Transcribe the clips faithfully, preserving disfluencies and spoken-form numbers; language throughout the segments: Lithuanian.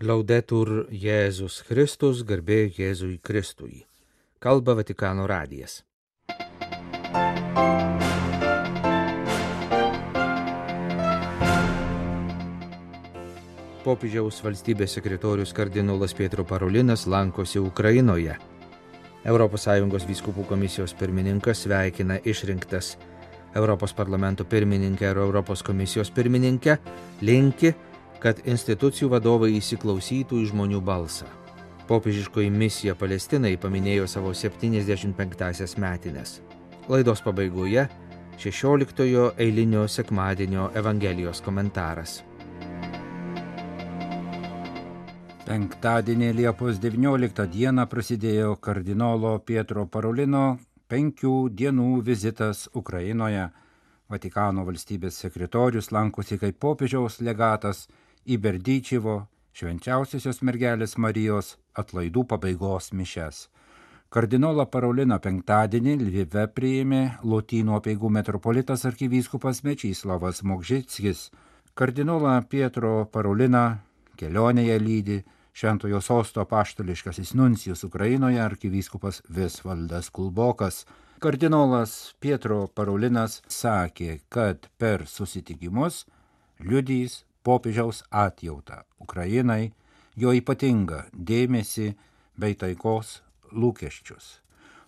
Laudetur Jėzus Kristus, garbė Jėzui Kristui. Kalba Vatikano radijas. Popiežiaus valstybės sekretorius kardinolas Pietro Parolinas lankosi Ukrainoje. Europos Sąjungos vyskupų komisijos pirmininkas sveikina išrinktas Europos parlamento pirmininkę ir Europos komisijos pirmininkę, linki, kad institucijų vadovai įsiklausytų į žmonių balsą. Popiežiškoji misija Palestinai paminėjo savo septyniasdešimt penktąsias metines. Laidos pabaigoje šešioliktojo eilinio sekmadienio Evangelijos komentaras. Penktadienį Liepos devynioliktą dieną prasidėjo kardinolo Pietro Parolino penkių dienų vizitas Ukrainoje. Vatikano valstybės sekretorius lankosi kaip popiežiaus legatas į Berdyčivo švenčiausiosios mergelės Marijos atlaidų pabaigos mišias. Kardinolą Paroliną penktadienį Lvive priėmė Lotynų apeigų metropolitas arkivyskupas Mečislavas Mokžickis. Kardinolą Pietro Paroliną kelionėje lydi Šventojo sosto apaštališkasis nuncijus Ukrainoje arkivyskupas Visvaldas Kulbokas. Kardinolas Pietro Parolinas sakė, kad per susitikimus liudys popiežiaus atjautą Ukrainai, jo ypatingą dėmesį bei taikos lūkesčius.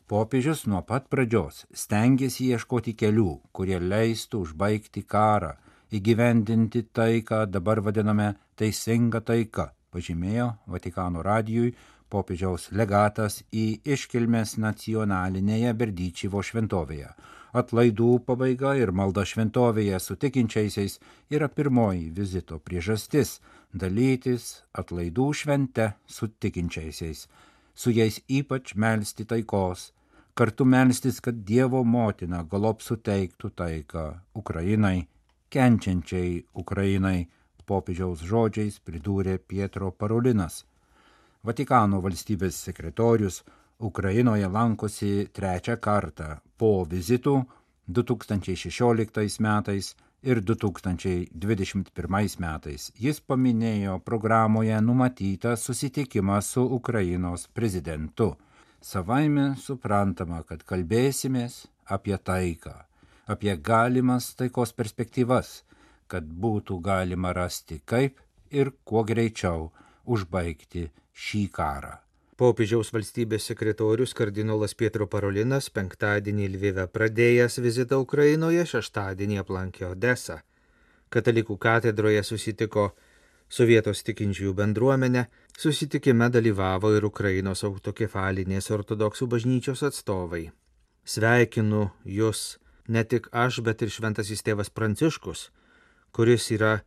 Popiežius nuo pat pradžios stengėsi ieškoti kelių, kurie leistų užbaigti karą, įgyvendinti taiką, dabar vadiname teisinga taika, pažymėjo Vatikano radijui popiežiaus legatas į iškilmes nacionalinėje Berdyčivo šventovėje. Atlaidų pabaiga ir malda šventovėje su tikinčiaisiais yra pirmoji vizito priežastis – dalytis atlaidų švente su tikinčiaisiais, su jais ypač melsti taikos, kartu melstis, kad Dievo motina galop suteiktų taiką Ukrainai, kenčiančiai Ukrainai, popiežiaus žodžiais pridūrė Pietro Parolinas. Vatikano valstybės sekretorius Ukrainoje lankosi trečią kartą po vizitų du tūkstančiai šešioliktais metais ir du tūkstančiai dvidešimt pirmais metais. Jis paminėjo programoje numatytą susitikimą su Ukrainos prezidentu. Savaime suprantama, kad kalbėsimės apie taiką, apie galimas taikos perspektyvas, kad būtų galima rasti kaip ir kuo greičiau užbaigti šį karą. Popiežiaus valstybės sekretorius kardinolas Pietro Parolinas penktadienį Lvive pradėjęs vizitą Ukrainoje, šeštadienį aplankė Odesą. Katalikų katedroje susitiko su vietos tikinčiųjų bendruomenė, susitikime dalyvavo ir Ukrainos autokefalinės ortodoksų bažnyčios atstovai. Sveikinu jūs ne tik aš, bet ir šventasis tėvas Pranciškus, kuris yra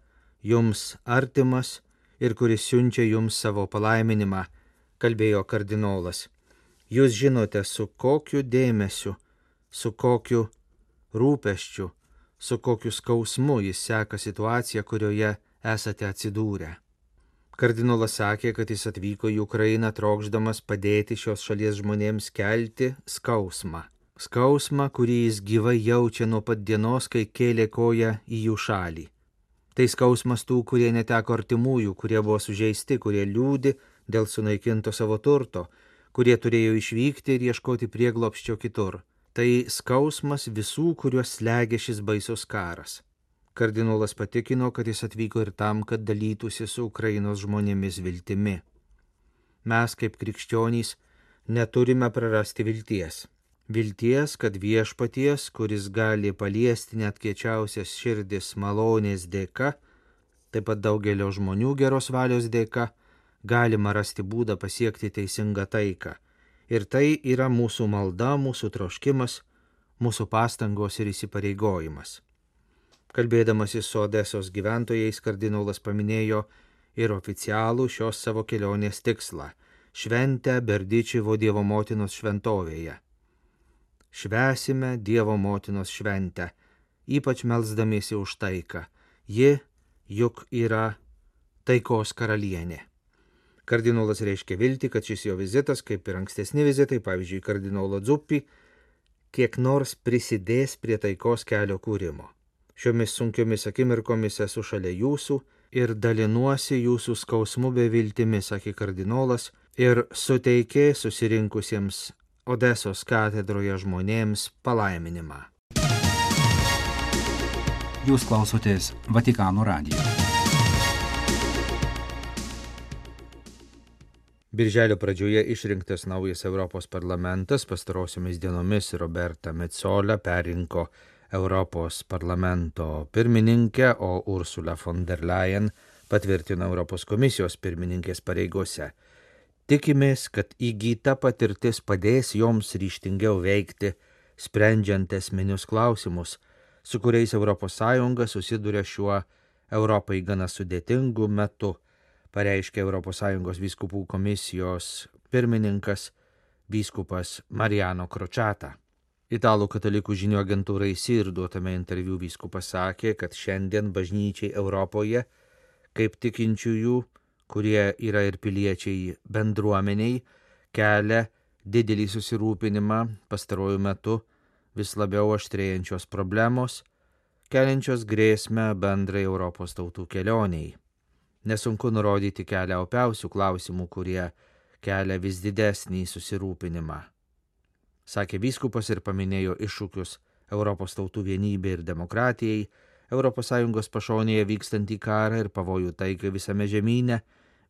jums artimas ir kuris siunčia jums savo palaiminimą, kalbėjo kardinolas. Jūs žinote, su kokiu dėmesiu, su kokiu rūpesčiu, su kokiu skausmu jis seka situaciją, kurioje esate atsidūrę. Kardinolas sakė, kad jis atvyko į Ukrainą trokšdamas padėti šios šalies žmonėms kelti skausmą. Skausmą, kurį jis gyvai jaučia nuo pat dienos, kai kėlė koją į jų šalį. Tai skausmas tų, kurie neteko artimųjų, kurie buvo sužeisti, kurie liūdi dėl sunaikinto savo turto, kurie turėjo išvykti ir ieškoti prieglobsčio kitur. Tai skausmas visų, kuriuos slegia šis baisus karas. Kardinolas patikino, kad jis atvyko ir tam, kad dalytųsi su Ukrainos žmonėmis viltimi. Mes, kaip krikščionys, neturime prarasti vilties. Vilties, kad viešpaties, kuris gali paliesti net kiečiausias širdis malonės dėka, taip pat daugelio žmonių geros valios dėka, galima rasti būdą pasiekti teisingą taiką. Ir tai yra mūsų malda, mūsų troškimas, mūsų pastangos ir įsipareigojimas. Kalbėdamasis su Odesos gyventojais, kardinolas paminėjo ir oficialų šios savo kelionės tikslą – šventę Berdyčivo Dievo motinos šventovėje. Švęsime Dievo motinos šventę, ypač melsdamiesi už taiką. Ji juk yra taikos karalienė. Kardinolas reiškia viltį, kad šis jo vizitas, kaip ir ankstesni vizitai, pavyzdžiui, kardinolo Dzuppi, kiek nors prisidės prie taikos kelio kūrimo. Šiomis sunkiomis akimirkomis esu šalia jūsų ir dalinuosi jūsų skausmu bei viltimi, sakė kardinolas, ir suteikė susirinkusiems Odesos katedroje žmonėms palaiminimą. Jūs klausotės Vatikano radijo. Birželio pradžioje išrinktas naujas Europos parlamentas pastarosiomis dienomis Roberta Metsola perrinko Europos parlamento pirmininkę, o Ursula von der Leyen patvirtino Europos komisijos pirmininkės pareigose. Tikimės, kad įgyta patirtis padės joms ryžtingiau veikti, sprendžiant esminius klausimus, su kuriais Europos Sąjunga susiduria šiuo Europai gana sudėtingu metu, pareiškė Europos Sąjungos vyskupų komisijos pirmininkas vyskupas Mariano Crociata. Italų katalikų žinių agentūrai S I R duotame interviu vyskupas sakė, kad šiandien bažnyčiai Europoje, kaip tikinčiųjų, kurie yra ir piliečiai bendruomeniai, kelia didelį susirūpinimą pastaruoju metu vis labiau aštrėjančios problemos, keliančios grėsmę bendrai Europos tautų kelioniai. Nesunku nurodyti kelią opiausių klausimų, kurie kelia vis didesnį susirūpinimą. Sakė vyskupas ir paminėjo iššūkius Europos tautų vienybė ir demokratijai, Europos Sąjungos pašonėje vykstantį karą ir pavojų taikai visame žemyne,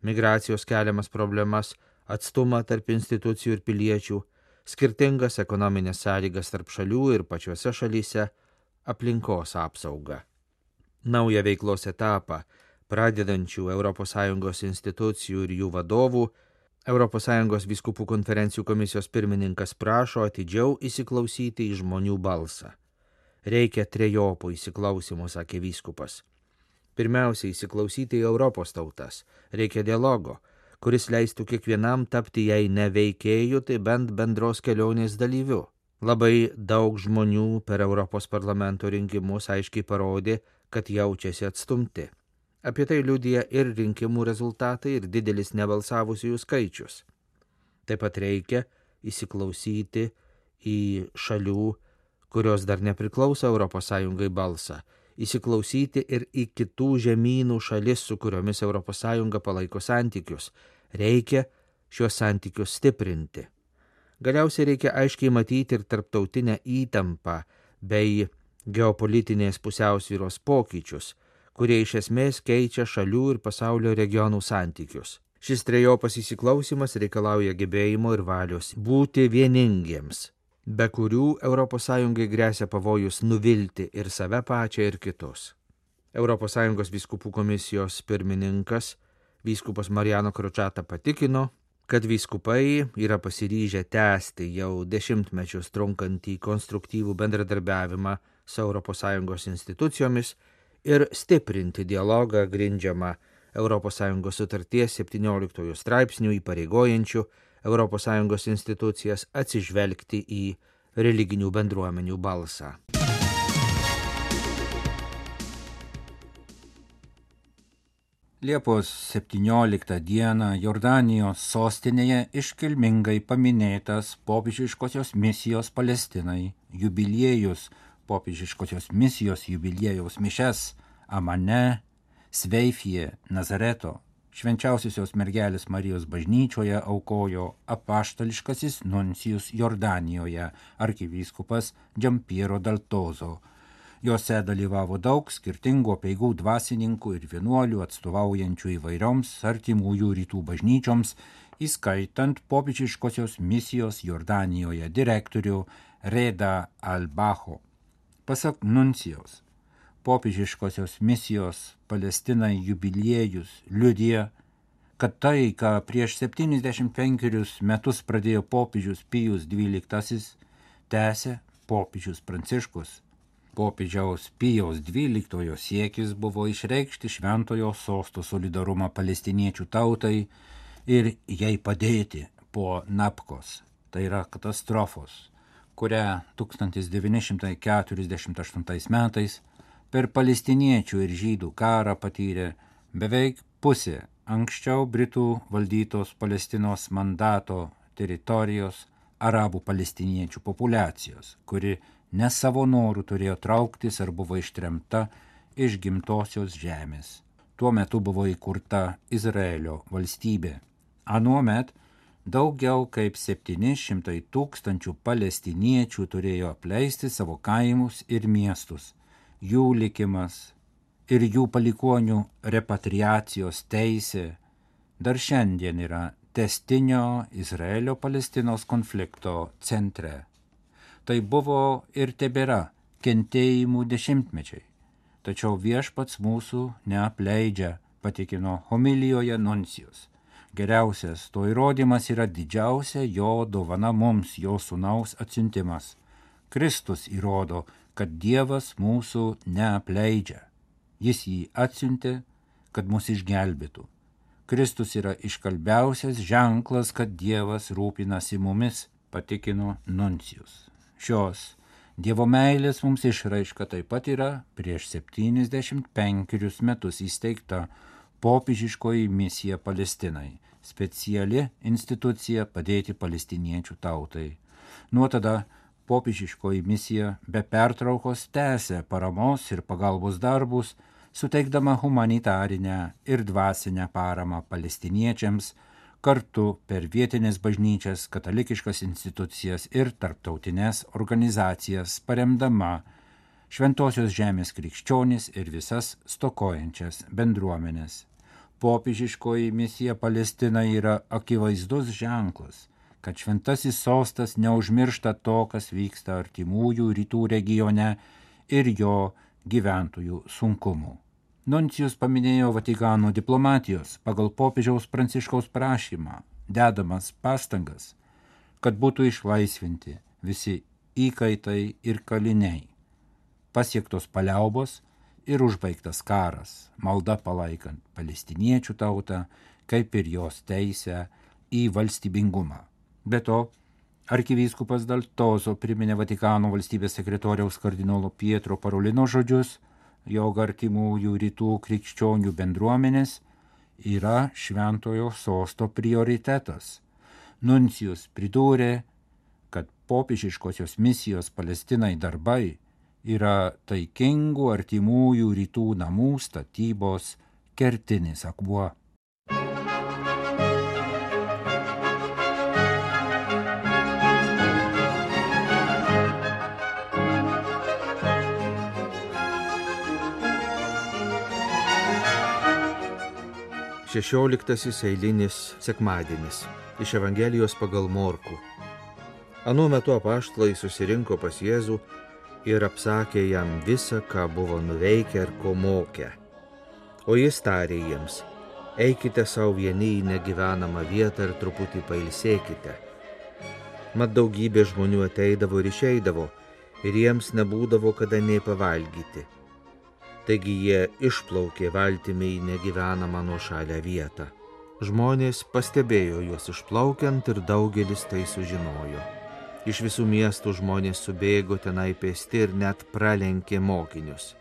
migracijos keliamas problemas, atstumą tarp institucijų ir piliečių, skirtingas ekonominės sąlygas tarp šalių ir pačiose šalyse, aplinkos apsaugą. Naują veiklos etapą, pradedančių Europos Sąjungos institucijų ir jų vadovų, Europos Sąjungos vyskupų konferencijų komisijos pirmininkas prašo atidžiau įsiklausyti į žmonių balsą. Reikia trejopų įsiklausimų, sakė vyskupas. Pirmiausia, įsiklausyti į Europos tautas. Reikia dialogo, kuris leistų kiekvienam tapti jei ne veikėjų, tai bent bendros kelionės dalyviu. Labai daug žmonių per Europos parlamento rinkimus aiškiai parodė, kad jaučiasi atstumti. Apie tai liudija ir rinkimų rezultatai, ir didelis nebalsavusiųjų skaičius. Taip pat reikia įsiklausyti į šalių, kurios dar nepriklauso Europos Sąjungai balsą, įsiklausyti ir į kitų žemynų šalis, su kuriomis Europos Sąjunga palaiko santykius. Reikia šios santykius stiprinti. Galiausiai reikia aiškiai matyti ir tarptautinę įtampą bei geopolitinės pusiausvyros pokyčius, kurie iš esmės keičia šalių ir pasaulio regionų santykius. Šis trejopas įsiklausimas reikalauja gebėjimo ir valios būti vieningiems, be kurių Europos Sąjungai gresia pavojus nuvilti ir save pačią ir kitus. Europos Sąjungos vyskupų komisijos pirmininkas, vyskupas Mariano Crociata patikino, kad vyskupai yra pasiryžę tęsti jau dešimtmečius trunkantį konstruktyvų bendradarbiavimą su Europos Sąjungos institucijomis ir stiprinti dialogą grindžiamą Europos Sąjungos sutarties septynioliktojo straipsnių įpareigojančių Europos Sąjungos institucijas atsižvelgti į religinių bendruomenių balsą. Liepos septynioliktą dieną Jordanijos sostinėje iškilmingai paminėtas popiežiškosios misijos Palestinai jubiliejus, popiežiškosios misijos jubiliejaus mišias Amane, Sveifije, Nazareto, Švenčiausiosios mergelės Marijos bažnyčioje aukojo apaštališkasis nuncijus Jordanijoje arkivyskupas Giampiero Daltozo. Jose dalyvavo daug skirtingų apeigų dvasininkų ir vienuolių atstovaujančių įvairioms artimųjų rytų bažnyčioms, įskaitant popiežiškosios misijos Jordanijoje direktorių Reda Al-Baho. Pasak nuncijos, popiežiškosios misijos Palestinai jubiliejus liudija, kad tai, ką prieš septyniasdešimt penkerius metus pradėjo popiežius Pijus dvyliktasis, tęsė popiežius Pranciškus. Popiežiaus Pijaus dvyliktojo siekis buvo išreikšti šventojo sosto solidarumą palestiniečių tautai ir jai padėti po Napkos, tai yra katastrofos, kurią tūkstantis devyni šimtai keturiasdešimt aštuntais metais per palestiniečių ir žydų karą patyrė beveik pusė anksčiau Britų valdytos Palestinos mandato teritorijos arabų palestiniečių populiacijos, kuri ne savo norų turėjo trauktis ar buvo ištremta iš gimtosios žemės. tuo metu buvo įkurta Izraelio valstybė. Anuomet daugiau kaip septyni šimtai tūkstančių palestiniečių turėjo apleisti savo kaimus ir miestus. Jų likimas ir jų palikuonių repatriacijos teisė dar šiandien yra tęstinio Izraelio-Palestinos konflikto centre. Tai buvo ir tebėra kentėjimų dešimtmečiai. Tačiau viešpats mūsų neapleidžia, patikino homilijoje nuncijus. Geriausias to įrodymas yra didžiausia jo dovana mums, jo sūnaus atsiuntimas. Kristus įrodo, kad Dievas mūsų neapleidžia. Jis jį atsiuntė, kad mus išgelbėtų. Kristus yra iškalbiausias ženklas, kad Dievas rūpinasi mumis, patikino nuncijus. Šios Dievo meilės mums išraiška taip pat yra prieš septyniasdešimt penkerius metus įsteigta popiežiškoji misija Palestinai, speciali institucija padėti palestiniečių tautai. Nuo tada popiežiškoji misija be pertraukos tęsė paramos ir pagalbos darbus, suteikdama humanitarinę ir dvasinę paramą palestiniečiams, kartu per vietinės bažnyčias, katalikiškas institucijas ir tarptautinės organizacijas, paremdama Šventosios žemės krikščionis ir visas stokojančias bendruomenės. Popiežiškoji misija Palestina yra akivaizdus ženklas, kad šventasis sostas neužmiršta to, kas vyksta artimųjų rytų regione ir jo gyventojų sunkumų. Nuncijus paminėjo Vatikano diplomatijos pagal popiežiaus Pranciškaus prašymą, dedamas pastangas, kad būtų išlaisvinti visi įkaitai ir kaliniai, pasiektos paliaubos ir užbaigtas karas, malda palaikant palestiniečių tautą, kaip ir jos teisę į valstybingumą. Be to, arkivyskupas Daltozo priminė Vatikano valstybės sekretoriaus kardinolo Pietro Parolino žodžius, jog artimųjų rytų krikščionių bendruomenės yra šventojo sosto prioritetas. Nuncijus pridūrė, kad popiežiškosios misijos Palestinai darbai yra taikingų artimųjų rytų namų statybos kertinis akmuo. Šešioliktasis eilinis sekmadienis iš Evangelijos pagal Morkų. Anuo metu apaštalai susirinko pas Jėzų ir apsakė jam visą, ką buvo nuveikę ir ko mokė. O jis tarė jiems: eikite savo vieni į negyvenamą vietą ir truputį pailsėkite. Mat daugybė žmonių ateidavo ir išeidavo, ir jiems nebūdavo kada nei pavalgyti. Taigi jie išplaukė valtimi į negyvenamą nuošalią vietą. Žmonės pastebėjo juos išplaukiant ir daugelis tai sužinojo. Iš visų miestų žmonės subėgo tenai pėsti ir net pralenkė mokinius.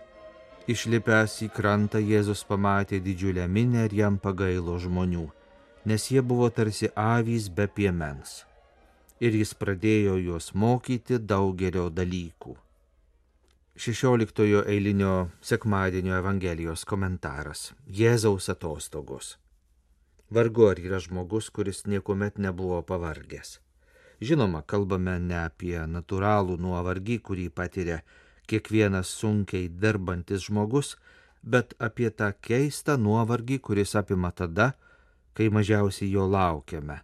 Išlipęs į krantą Jėzus pamatė didžiulę minią ir jam pagailo žmonių, nes jie buvo tarsi avys be piemens. Ir jis pradėjo juos mokyti daugelio dalykų. šešioliktojo eilinio sekmadienio Evangelijos komentaras. Jėzaus atostogos. Vargu ar yra žmogus, kuris niekuomet nebuvo pavargęs. Žinoma, kalbame ne apie natūralų nuovargį, kurį patiria kiekvienas sunkiai dirbantis žmogus, bet apie tą keistą nuovargį, kuris apima tada, kai mažiausiai jo laukiame,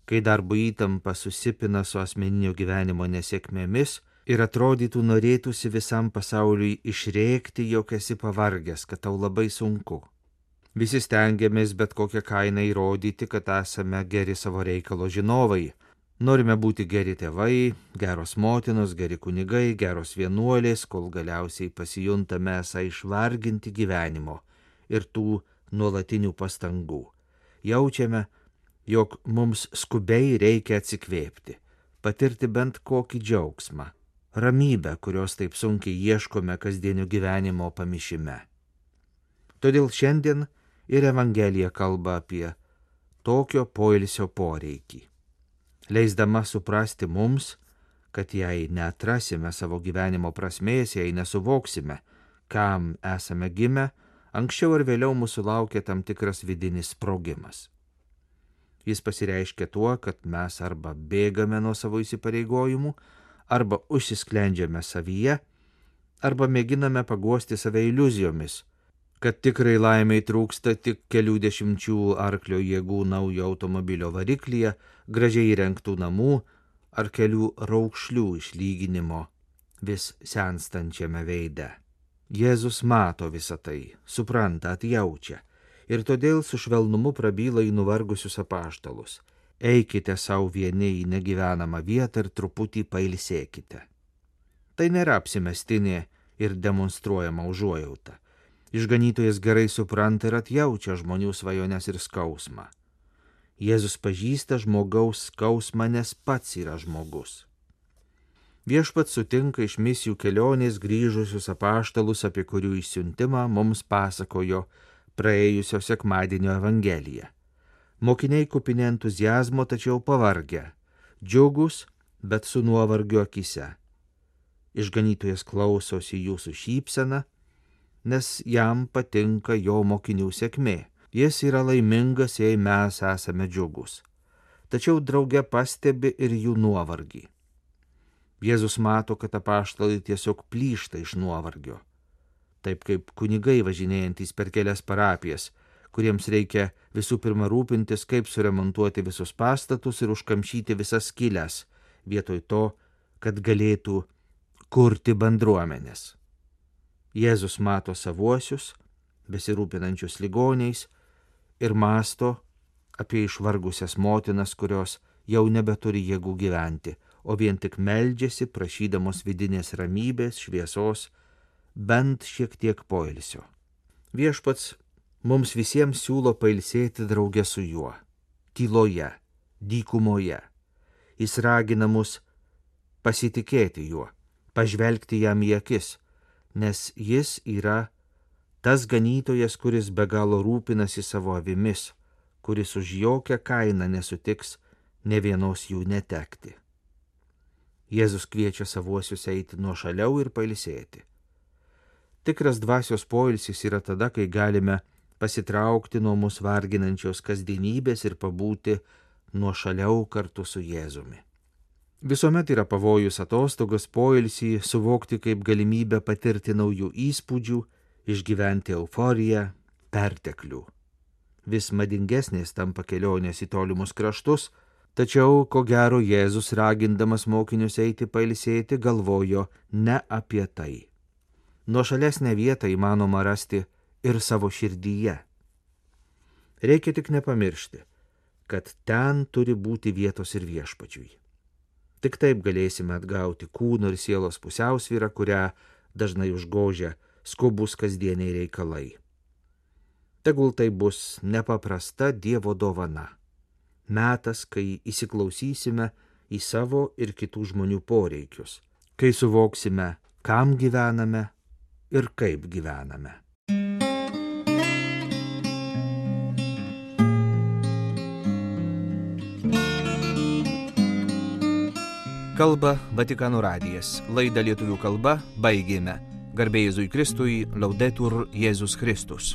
kai darbo įtampa susipina su asmeninio gyvenimo nesėkmėmis ir atrodytų norėtųsi visam pasauliui išrėkti, jog esi pavargęs, kad tau labai sunku. Visi stengiamės bet kokią kainą įrodyti, kad esame geri savo reikalo žinovai. Norime būti geri tėvai, geros motinos, geri kunigai, geros vienuolės, kol galiausiai pasijuntame esą išvarginti gyvenimo ir tų nuolatinių pastangų. Jaučiame, jog mums skubiai reikia atsikvėpti, patirti bent kokį džiaugsmą, ramybę, kurios taip sunkiai ieškome kasdienio gyvenimo pamišime. Todėl šiandien ir Evangelija kalba apie tokio poilsio poreikį, leisdama suprasti mums, kad jei neatrasime savo gyvenimo prasmės, jei nesuvoksime, kam esame gimę, anksčiau ar vėliau mūsų laukia tam tikras vidinis sprogimas. Jis pasireiškia tuo, kad mes arba bėgame nuo savo įsipareigojimų, arba užsisklendžiame savyje, arba mėginame paguosti save iliuzijomis, kad tikrai laimiai trūksta tik kelių dešimčių arklio jėgų naujo automobilio variklyje, gražiai įrengtų namų ar kelių raukšlių išlyginimo vis senstančiame veide. Jėzus mato visą tai, supranta, atjaučia ir todėl su švelnumu prabyla į nuvargusius apaštalus. Eikite savo vieni į negyvenamą vietą ir truputį pailsėkite. Tai nėra apsimestinė ir demonstruojama užuojauta. Išganytojas gerai supranta ir atjaučia žmonių svajones ir skausmą. Jėzus pažįsta žmogaus skausmą, nes pats yra žmogus. Viešpats sutinka iš misijų kelionės grįžusius apaštalus, apie kurių išsiuntimą mums pasakojo praėjusio sekmadienio Evangelija. Mokiniai kupini entuziazmo, tačiau pavargę, džiugus, bet su nuovargiu akise. Išganytojas klausosi jūsų šypsena, nes jam patinka jo mokinių sėkmė. Jis yra laimingas, jei mes esame džiugus. Tačiau drauge pastebi ir jų nuovargį. Jėzus mato, kad apaštalai tiesiog plyšta iš nuovargio. Taip kaip kunigai važinėjantys per kelias parapijas, kuriems reikia visų pirma rūpintis, kaip suremontuoti visus pastatus ir užkamšyti visas skyles, vietoj to, kad galėtų kurti bendruomenės. Jėzus mato savuosius, besirūpinančius ligoniais, ir mąsto apie išvargusias motinas, kurios jau nebeturi jėgų gyventi, o vien tik meldžiasi, prašydamos vidinės ramybės, šviesos, bent šiek tiek poilsio. Viešpats mums visiems siūlo pailsėti drauge su juo, tyloje, dykumoje. Jis ragina mus pasitikėti juo, pažvelgti jam į akis, nes jis yra tas ganytojas, kuris be galo rūpinasi savo avimis, kuris už jokią kainą nesutiks ne vienos jų netekti. Jėzus kviečia savuosius eiti nuošaliau ir pailsėti. Tikras dvasios poilsis yra tada, kai galime pasitraukti nuo mus varginančios kasdienybės ir pabūti nuošaliau kartu su Jėzumi. Visuomet yra pavojus atostogas poilsį suvokti kaip galimybę patirti naujų įspūdžių, išgyventi euforiją, perteklių. Vis madingesnės tampa kelionės į tolimus kraštus, tačiau, ko gero, Jėzus ragindamas mokinius eiti pailsėti galvojo ne apie tai. Nuošalesnę vietą įmanoma rasti ir savo širdyje. Reikia tik nepamiršti, kad ten turi būti vietos ir viešpačiui. Tik taip galėsime atgauti kūno ir sielos pusiausvyrą, kurią dažnai užgožia skubus kasdieniai reikalai. Tegul tai bus nepaprasta Dievo dovana. Metas, kai įsiklausysime į savo ir kitų žmonių poreikius, kai suvoksime, kam gyvename ir kaip gyvename. Kalba Vatikano radijas. Laidą lietuvių kalba baigėme. Garbė Jėzui Kristui, Laudetur Jėzus Kristus.